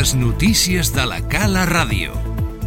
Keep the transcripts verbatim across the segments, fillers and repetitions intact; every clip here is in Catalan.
Les notícies de la Cala Ràdio.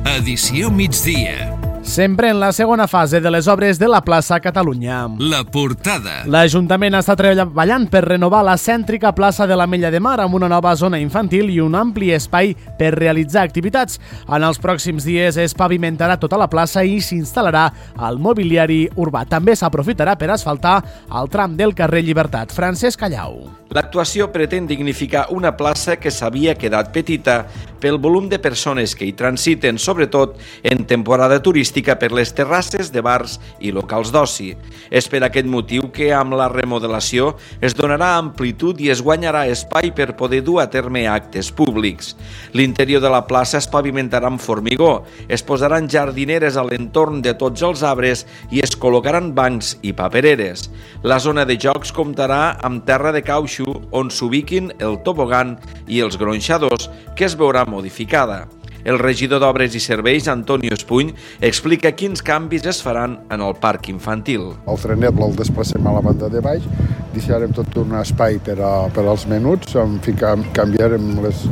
Edició migdia. Sempre en la segona fase de les obres de la plaça Catalunya. La portada. L'Ajuntament està treballant per renovar la cèntrica plaça de l'Ametlla de Mar amb una nova zona infantil i un ampli espai per realitzar activitats. En els pròxims dies es pavimentarà tota la plaça i s'instal·larà el mobiliari urbà. També s'aprofitarà per asfaltar el tram del carrer Llibertat. Francesc Callau. L'actuació pretén dignificar una plaça que s'havia quedat petita pel volum de persones que hi transiten, sobretot en temporada turística per les terrasses de bars i locals d'oci. És per aquest motiu que amb la remodelació es donarà amplitud i es guanyarà espai per poder dur a terme actes públics. L'interior de la plaça es pavimentarà amb formigó, es posaran jardineres a l'entorn de tots els arbres i es col·locaran bancs i papereres. La zona de jocs comptarà amb terra de cautxú on s'ubiquin el tobogan i els gronxadors, que es veurà modificada. El regidor d'Obres i Serveis, Antonio Espuny, explica quins canvis es faran en el parc infantil. El trenet el desplacem a la banda de baix, deixarem tot un espai per, a, per als menuts, en fi, canviarem, les,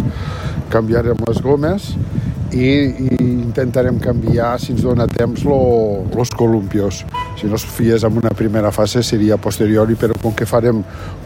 canviarem les gomes i, i intentarem canviar, si ens dona temps, els columpios. Si no es fies en una primera fase seria posteriori, però com que farem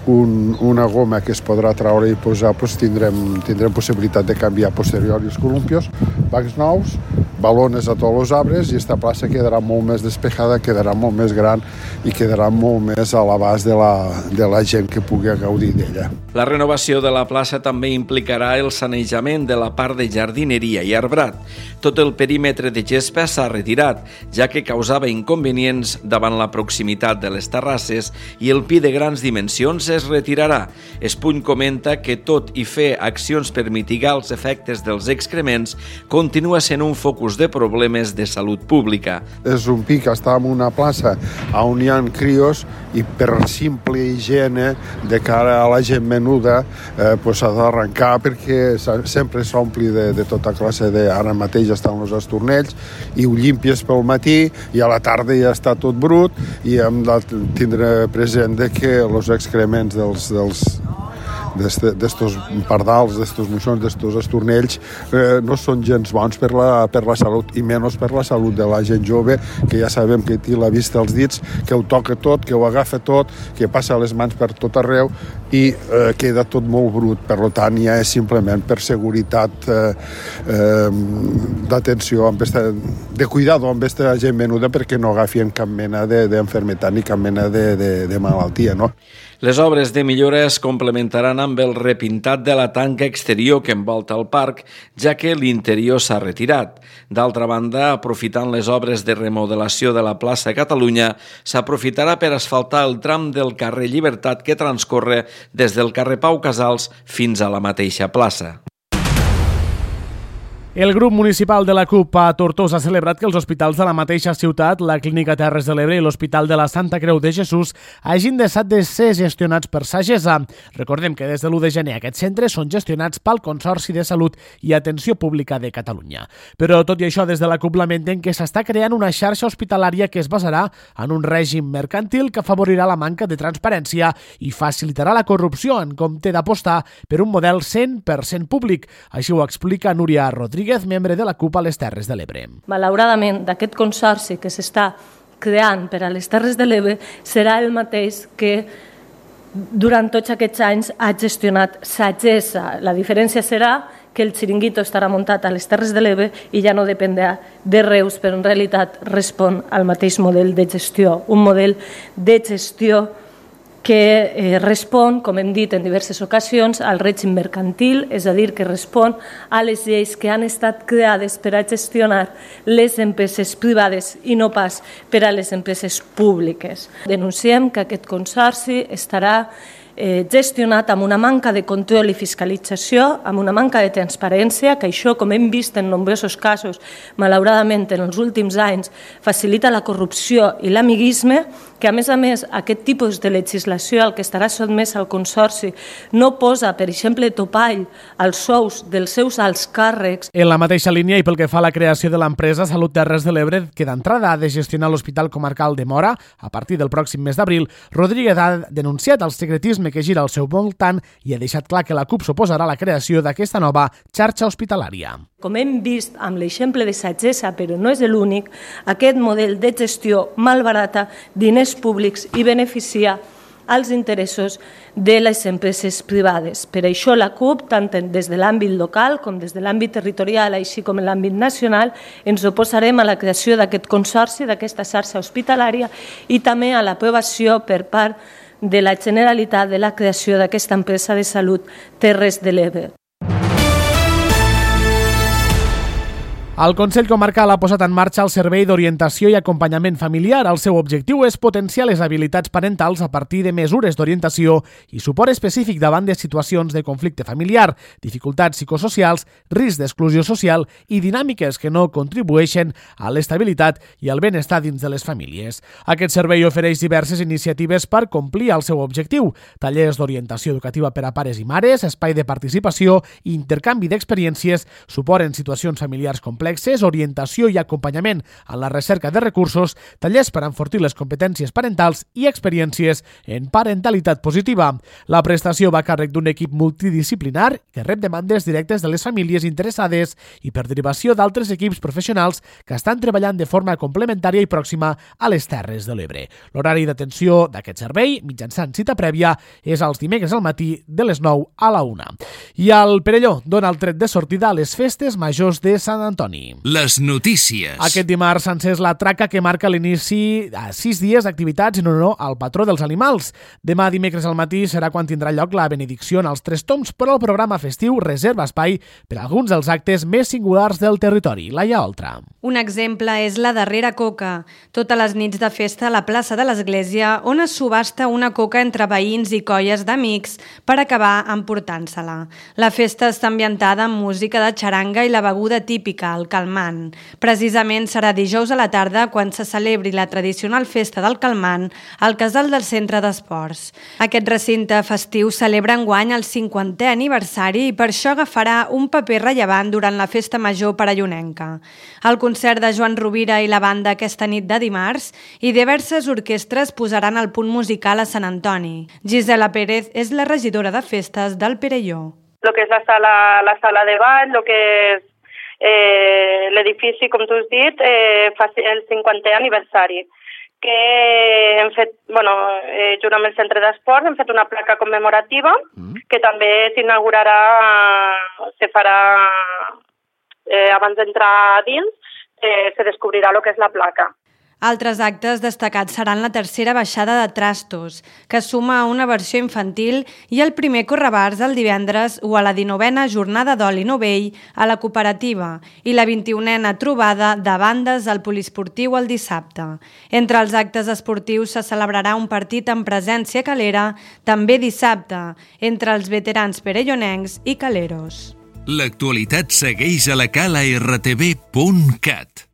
un, una goma que es podrà traure i posar, doncs tindrem, tindrem possibilitat de canviar posteriori els columpios, bancs nous, balones a tots els arbres i esta plaça quedarà molt més despejada, quedarà molt més gran i quedarà molt més a l'abast de, la, de la gent que pugui gaudir d'ella. La renovació de la plaça també implicarà el sanejament de la part de jardineria i arbrat. Tot el perímetre de gespa s'ha retirat, ja que causava inconvenients davant la proximitat de les terrasses i el pi de grans dimensions es retirarà. Espuny comenta que tot i fer accions per mitigar els efectes dels excrements continua sent un focus de problemes de salut pública. És un pi que està en una plaça on hi ha crios i per simple higiene de cara a la gent menuda eh, pues s'ha d'arrencar perquè sempre s'ompli de, de tota classe de... Ara mateix estan els estornells i ho llimpies pel matí i a la tarda ja està tot brut i hem de tindre present que els excrements dels, dels d'estos pardals, d'estos moixons, d'estos estornells eh, no són gens bons per la, per la salut i menys per la salut de la gent jove que ja sabem que té la vista als dits, que ho toca tot, que ho agafa tot, que passa les mans per tot arreu i eh, queda tot molt brut. Per tant, ja és simplement per seguretat eh, eh, d'atenció, de cuidado amb aquesta gent menuda perquè no agafien cap mena d'enfermetat ni cap mena de, de, de malaltia, no? Les obres de millora es complementaran amb el repintat de la tanca exterior que envolta el parc, ja que l'interior s'ha retirat. D'altra banda, aprofitant les obres de remodelació de la plaça Catalunya, s'aprofitarà per asfaltar el tram del carrer Llibertat que transcorre des del carrer Pau Casals fins a la mateixa plaça. El grup municipal de la CUP a Tortosa ha celebrat que els hospitals de la mateixa ciutat, la Clínica Terres de l'Ebre i l'Hospital de la Santa Creu de Jesús, hagin deixat de ser gestionats per Sagesa. Recordem que des de l'u de gener aquests centres són gestionats pel Consorci de Salut i Atenció Pública de Catalunya. Però tot i això, des de la CUP lamenten que s'està creant una xarxa hospitalària que es basarà en un règim mercantil que afavorirà la manca de transparència i facilitarà la corrupció en compte d'apostar per un model cent per cent públic. Així ho explica Núria Rodríguez, membre de la CUP a les Terres de l'Ebre. Malauradament, d'aquest consorci que s'està creant per a les Terres de l'Ebre serà el mateix que durant tots aquests anys ha gestionat Sagesa. La diferència serà que el xiringuito estarà muntat a les Terres de l'Ebre i ja no dependrà de Reus, però en realitat respon al mateix model de gestió, un model de gestió que eh, respon, com hem dit en diverses ocasions, al règim mercantil, és a dir, que respon a les lleis que han estat creades per a gestionar les empreses privades i no pas per a les empreses públiques. Denunciem que aquest consorci estarà eh, gestionat amb una manca de control i fiscalització, amb una manca de transparència, que això, com hem vist en nombrosos casos, malauradament en els últims anys, facilita la corrupció i l'amiguisme, que a més a més aquest tipus de legislació al que estarà sotmès al Consorci no posa, per exemple, topall als sous dels seus alts càrrecs. En la mateixa línia i pel que fa a la creació de l'empresa Salut Terres de l'Ebre, que d'entrada ha de gestionar l'Hospital Comarcal de Móra a partir del pròxim mes d'abril, Rodríguez ha denunciat el secretisme que gira al seu voltant i ha deixat clar que la CUP s'oposarà a la creació d'aquesta nova xarxa hospitalària. Com hem vist amb l'exemple de Sagessa, però no és l'únic, aquest model de gestió malbarata diners públics i beneficia als interessos de les empreses privades. Per això la CUP, tant des de l'àmbit local com des de l'àmbit territorial, així com en l'àmbit nacional, ens oposarem a la creació d'aquest consorci, d'aquesta xarxa hospitalària i també a l'aprovació per part de la Generalitat de la creació d'aquesta empresa de salut Terres de l'Ebre. El Consell Comarcal ha posat en marxa el Servei d'Orientació i Acompanyament Familiar. El seu objectiu és potenciar les habilitats parentals a partir de mesures d'orientació i suport específic davant de situacions de conflicte familiar, dificultats psicosocials, risc d'exclusió social i dinàmiques que no contribueixen a l'estabilitat i al benestar dins de les famílies. Aquest servei ofereix diverses iniciatives per complir el seu objectiu: tallers d'orientació educativa per a pares i mares, espai de participació i intercanvi d'experiències, suport en situacions familiars complexes, orientació i acompanyament en la recerca de recursos, tallers per enfortir les competències parentals i experiències en parentalitat positiva. La prestació va a càrrec d'un equip multidisciplinar que rep demandes directes de les famílies interessades i per derivació d'altres equips professionals que estan treballant de forma complementària i pròxima a les Terres de l'Ebre. L'horari d'atenció d'aquest servei, mitjançant cita prèvia, és els dimecres al matí de les nou a la una. I el Perelló dona el tret de sortida a les festes majors de Sant Antoni. Les notícies. Aquest dimarts s'ha encès la traca que marca l'inici a sis dies d'activitats en honor al patró dels animals. Demà dimecres al matí serà quan tindrà lloc la benedicció en els Tres Tombs, però el programa festiu reserva espai per a alguns dels actes més singulars del territori. Laia Oltra. Un exemple és la darrera coca. Totes les nits de festa a la plaça de l'Església, on es subhasta una coca entre veïns i colles d'amics per acabar emportant-se-la. La festa està ambientada amb música de xaranga i la beguda típica, el calmant. Precisament serà dijous a la tarda quan se celebri la tradicional festa del calmant al casal del Centre d'Esports. Aquest recinte festiu celebra enguany el cinquantè aniversari i per això agafarà un paper rellevant durant la festa major perellonenca. El concert de Joan Rovira i la banda aquesta nit de dimarts i diverses orquestres posaran el punt musical a Sant Antoni. Gisela Pérez és la regidora de festes del Perelló. Lo que és la sala, la sala de ball, lo que és Eh, l'edifici, com tu has dit, eh, fa el cinquantè aniversari, que hem fet, bueno, eh, junt amb el Centre d'Esports, hem fet una placa commemorativa mm. que també s'inaugurarà, se farà eh, abans d'entrar dins, eh, se descobrirà el que és la placa. Altres actes destacats seran la tercera baixada de Trastos, que suma a una versió infantil, i el primer correbars el divendres o a la dinovena jornada d'oli novell a la cooperativa i la vint-i-unena trobada de bandes al poliesportiu el dissabte. Entre els actes esportius se celebrarà un partit en presència calera també dissabte entre els veterans perellonencs i caleros. L'actualitat segueix a la cala r t v punt cat.